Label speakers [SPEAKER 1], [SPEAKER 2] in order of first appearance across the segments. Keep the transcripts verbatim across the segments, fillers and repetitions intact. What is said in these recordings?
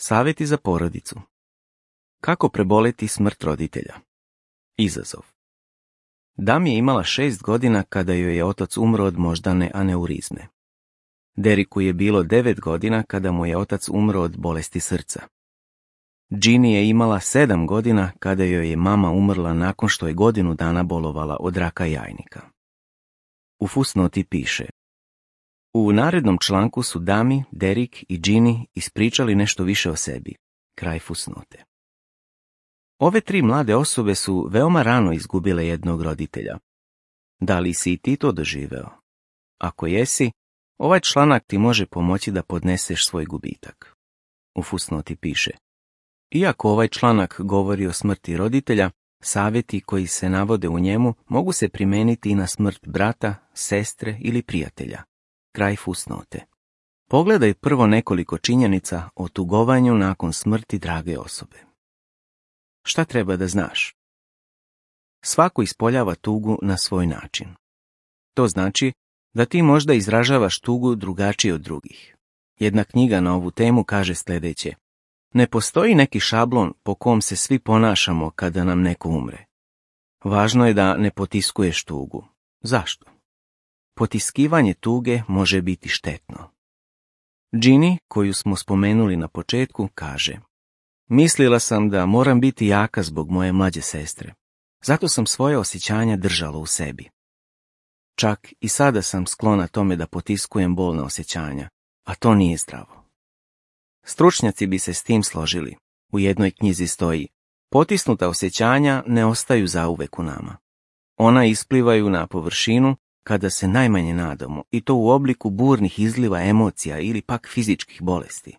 [SPEAKER 1] Savjeti za porodicu. Kako preboleti smrt roditelja? Izazov. Dam je imala šest godina kada joj je otac umro od moždane aneurizme. Deriku je bilo devet godina kada mu je otac umro od bolesti srca. Ginny je imala sedam godina kada joj je mama umrla nakon što je godinu dana bolovala od raka jajnika. U fusnoti piše: u narednom članku su Dami, Derik i Ginny ispričali nešto više o sebi. Kraj fusnote. Ove tri mlade osobe su veoma rano izgubile jednog roditelja. Da li si i ti to doživeo? Ako jesi, ovaj članak ti može pomoći da podneseš svoj gubitak. U fusnoti piše: iako ovaj članak govori o smrti roditelja, savjeti koji se navode u njemu mogu se primijeniti i na smrt brata, sestre ili prijatelja. Kraj fusnote. Pogledaj prvo nekoliko činjenica o tugovanju nakon smrti drage osobe. Šta treba da znaš? Svako ispoljava tugu na svoj način. To znači da ti možda izražavaš tugu drugačije od drugih. Jedna knjiga na ovu temu kaže sljedeće: ne postoji neki šablon po kom se svi ponašamo kada nam neko umre. Važno je da ne potiskuješ tugu. Zašto? Potiskivanje tuge može biti štetno. Ginny, koju smo spomenuli na početku, kaže: mislila sam da moram biti jaka zbog moje mlađe sestre. Zato sam svoje osjećanja držala u sebi. Čak i sada sam sklona tome da potiskujem bolna osjećanja, a to nije zdravo. Stručnjaci bi se s tim složili. U jednoj knjizi stoji: potisnuta osjećanja ne ostaju zauvek u nama. Ona isplivaju na površinu kada se najmanje nadamo, i to u obliku burnih izliva emocija ili pak fizičkih bolesti.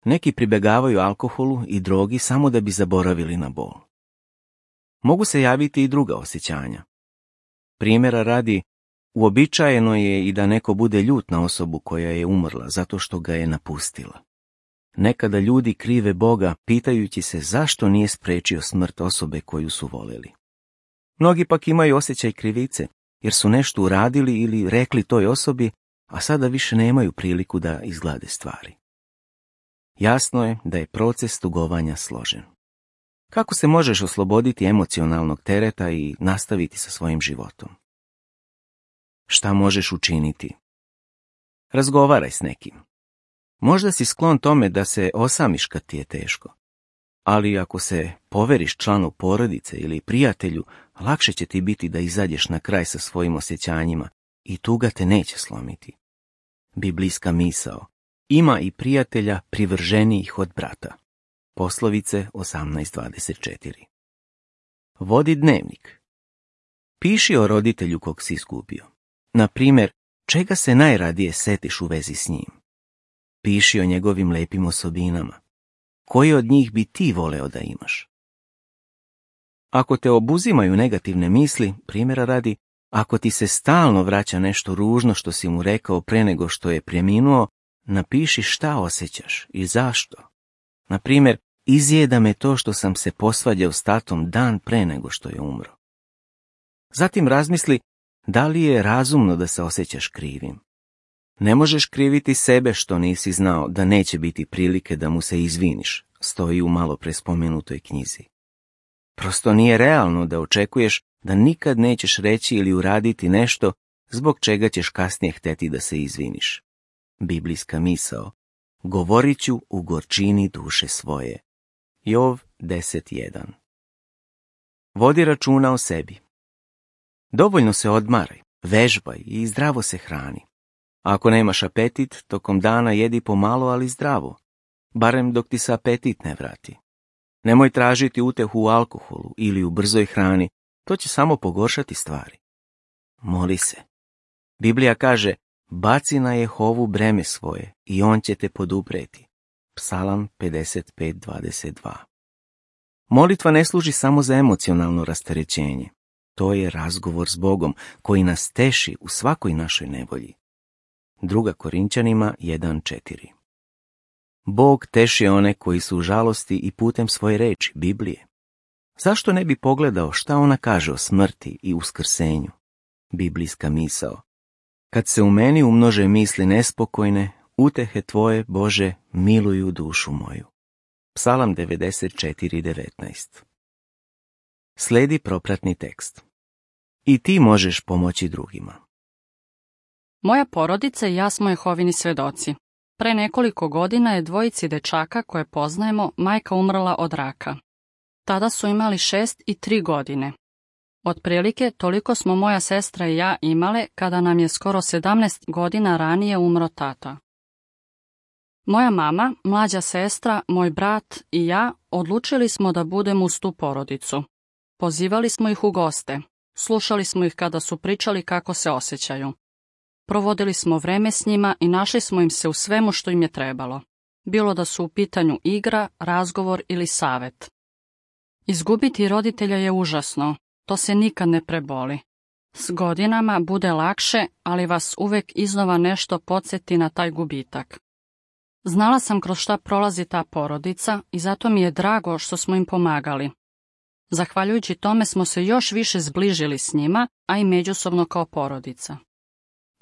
[SPEAKER 1] Neki pribegavaju alkoholu i drogi samo da bi zaboravili na bol. Mogu se javiti i druga osjećanja. Primjera radi, uobičajeno je i da neko bude ljut na osobu koja je umrla zato što ga je napustila. Nekada ljudi krive Boga pitajući se zašto nije spriječio smrt osobe koju su voljeli. Mnogi pak imaju osjećaj krivice jer su nešto uradili ili rekli toj osobi, a sada više nemaju priliku da izglade stvari. Jasno je da je proces tugovanja složen. Kako se možeš osloboditi emocionalnog tereta i nastaviti sa svojim životom? Šta možeš učiniti? Razgovaraj s nekim. Možda si sklon tome da se osamiš kad ti je teško, ali ako se poveriš članu porodice ili prijatelju, lakše će ti biti da izađeš na kraj sa svojim osjećanjima i tuga te neće slomiti. Biblijska misao: ima i prijatelja privrženijih od brata. Poslovice osamnaest dvadeset četiri. Vodi dnevnik. Piši o roditelju kog si izgubio. Na primjer, čega se najradije setiš u vezi s njim? Piši o njegovim lepim osobinama. Koji od njih bi ti voleo da imaš? Ako te obuzimaju negativne misli, primjera radi, ako ti se stalno vraća nešto ružno što si mu rekao pre nego što je preminuo, napiši šta osjećaš i zašto. Na primjer, izjeda me to što sam se posvađao s tatom dan pre nego što je umro. Zatim razmisli da li je razumno da se osjećaš krivim. Ne možeš kriviti sebe što nisi znao da neće biti prilike da mu se izviniš, stoji u malo pre spomenutoj knjizi. Prosto nije realno da očekuješ da nikad nećeš reći ili uraditi nešto zbog čega ćeš kasnije hteti da se izviniš. Biblijska misao: govorit ću u gorčini duše svoje. Jov deset jedan. Vodi računa o sebi. Dovoljno se odmaraj, vežbaj i zdravo se hrani. Ako nemaš apetit, tokom dana jedi pomalo, ali zdravo, barem dok ti se apetit ne vrati. Nemoj tražiti utehu u alkoholu ili u brzoj hrani, to će samo pogoršati stvari. Moli se. Biblija kaže: baci na Jehovu breme svoje i on će te podupreti. Psalam pedeset pet dvadeset dva. Molitva ne služi samo za emocionalno rasterećenje. To je razgovor s Bogom koji nas teši u svakoj našoj nevolji. Druga Korinćanima jedan četiri. Bog teši one koji su u žalosti i putem svoje reči, Biblije. Zašto ne bi pogledao šta ona kaže o smrti i uskrsenju? Biblijska misao: kad se u meni umnože misli nespokojne, utehe tvoje, Bože, miluju dušu moju. Psalam devedeset četiri devetnaest. Sledi propratni tekst. I ti možeš pomoći drugima.
[SPEAKER 2] Moja porodica i ja smo Jehovini svjedoci. Pre nekoliko godina je dvojici dečaka koje poznajemo majka umrla od raka. Tada su imali šest i tri godine. Otprilike toliko smo moja sestra i ja imale kada nam je skoro sedamnaest godina ranije umro tata. Moja mama, mlađa sestra, moj brat i ja odlučili smo da budemo uz tu porodicu. Pozivali smo ih u goste, slušali smo ih kada su pričali kako se osjećaju. Provodili smo vreme s njima i našli smo im se u svemu što im je trebalo. Bilo da su u pitanju igra, razgovor ili savet. Izgubiti roditelja je užasno, to se nikad ne preboli. S godinama bude lakše, ali vas uvek iznova nešto podsjeti na taj gubitak. Znala sam kroz šta prolazi ta porodica i zato mi je drago što smo im pomagali. Zahvaljujući tome smo se još više zbližili s njima, a i međusobno kao porodica.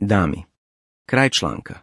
[SPEAKER 1] Dami. Kraj članka.